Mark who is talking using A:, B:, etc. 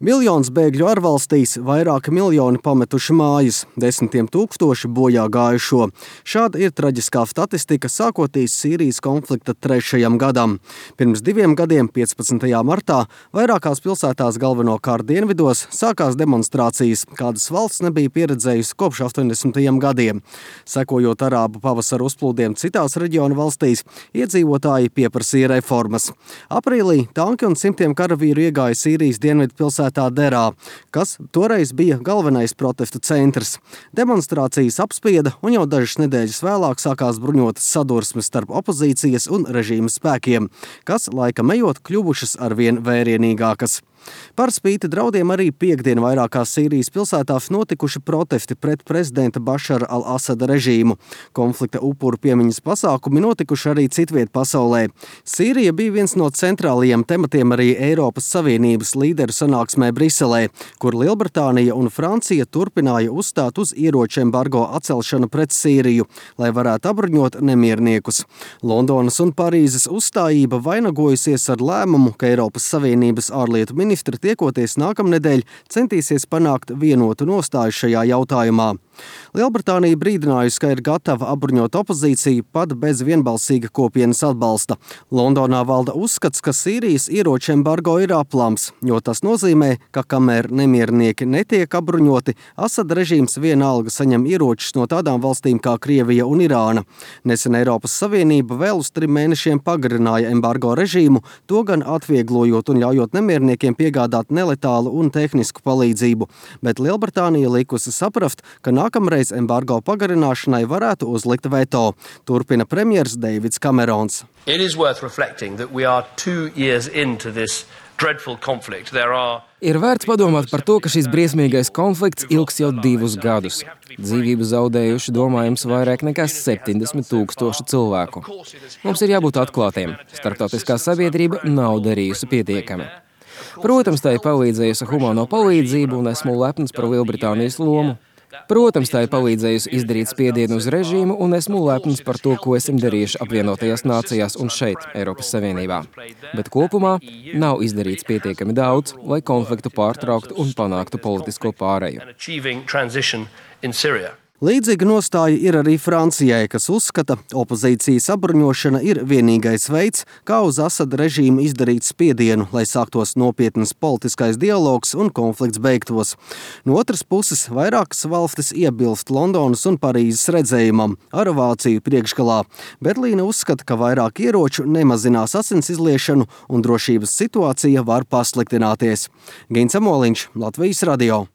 A: Miljons bēgļu ārvalstīs, vairāki miljoni pametuši mājas, desmitiem tūkstoši bojā gājušo. Šāda ir traģiskā statistika sākoties Sīrijas konflikta 3. gadam. Pirms 2 gadiem, 15. martā, vairākās pilsētās galvenokārt dienvidos sākās demonstrācijas, kādas valsts nebija pieredzējusi kopš 80. gadiem. Sekojot arābu pavasara uzplūdiem citās reģiona valstīs, iedzīvotāji pieprasīja reformas. Aprīlī tanki un simtiem karavīru iegāja Sīrijas dienvidu pilsētā Derā, kas toreiz bija galvenais protestu centrs. Demonstrācijas apspieda un jau dažas nedēļas vēlāk sākās bruņotas sadursmes starp opozīcijas un režīma spēkiem, kas laikam ejot kļuvušas arvien vērienīgākas. Par spīti draudiem arī piektdien vairākās Sīrijas pilsētās notikuši protesti pret prezidenta Bašara al-Asada režīmu. Konflikta upuru piemiņas pasākumi notikuši arī citviet pasaulē. Sīrija bija viens no centrālajiem tematiem arī Eiropas Savienības līderu sanāksmē Briselē, kur Lielbritānija un Francija turpināja uzstāt uz ieroču embargo atcelšanu pret Sīriju, lai varētu apbruņot nemierniekus. Londonas un Parīzes uzstājība vainagojusies ar lēmumu, ka Eiropas Savienības ārlietu ministri tiekoties nākamnedēļ centīsies panākt vienotu nostāju šajā jautājumā. Lielbritānija brīdinājusi, ka ir gatava apbruņot opozīciju pat bez vienbalsīga kopienas atbalsta. Londonā valda uzskats, ka Sīrijas ieroču embargo ir aplams, jo tas nozīmē, ka kamēr nemiernieki netiek apbruņoti, Asada režīms vienalga saņem ieročus no tādām valstīm kā Krievija un Irāna. Nesen Eiropas Savienība vēl uz 3 mēnešiem pagarināja embargo režīmu, to gan atvieglojot un ļaujot nemierniekiem piegādāt neletālu un tehnisku palīdzību, bet Lielbritānija likusi saprast, ka nākamreiz embargo pagarināšanai varētu uzlikt veto, turpina premjers Deivids Kamerons.
B: It is worth reflecting that we are 2 years into this dreadful conflict.
C: Ir vērts padomāt par to, ka šis briesmīgais konflikts ilgs jau 2 gadus. Dzīvību zaudējuši domājams vairāk nekā 70 000 cilvēku. Mums ir jābūt atklātiem. Starptautiskā sabiedrība nav darījusi pietiekami. Protams, tā ir palīdzējusi humāno palīdzību un esmu lepns par Lielbritānijas lomu. Protams, tā ir palīdzējusi izdarīt spiedienu uz režīmu un esmu lepns par to, ko esam darījuši apvienotajās nācijās un šeit, Eiropas Savienībā. Bet kopumā nav izdarīts pietiekami daudz, lai konfliktu pārtrauktu un panāktu politisko pāreju.
A: Līdzīga nostāja ir arī Francijai, kas uzskata, opozīcijas apbruņošana ir vienīgais veids, kā uz Asada režīmu izdarīt spiedienu, lai sāktos nopietnas politiskais dialogs un konflikts beigtos. No otras puses, vairākas valstis iebilst Londonas un Parīzes redzējumam ar Vāciju priekšgalā. Berlīne uzskata, ka vairāk ieroču nemazinās asins izliešanu un drošības situācija var pasliktināties. Gins Amoliņš, Latvijas radio.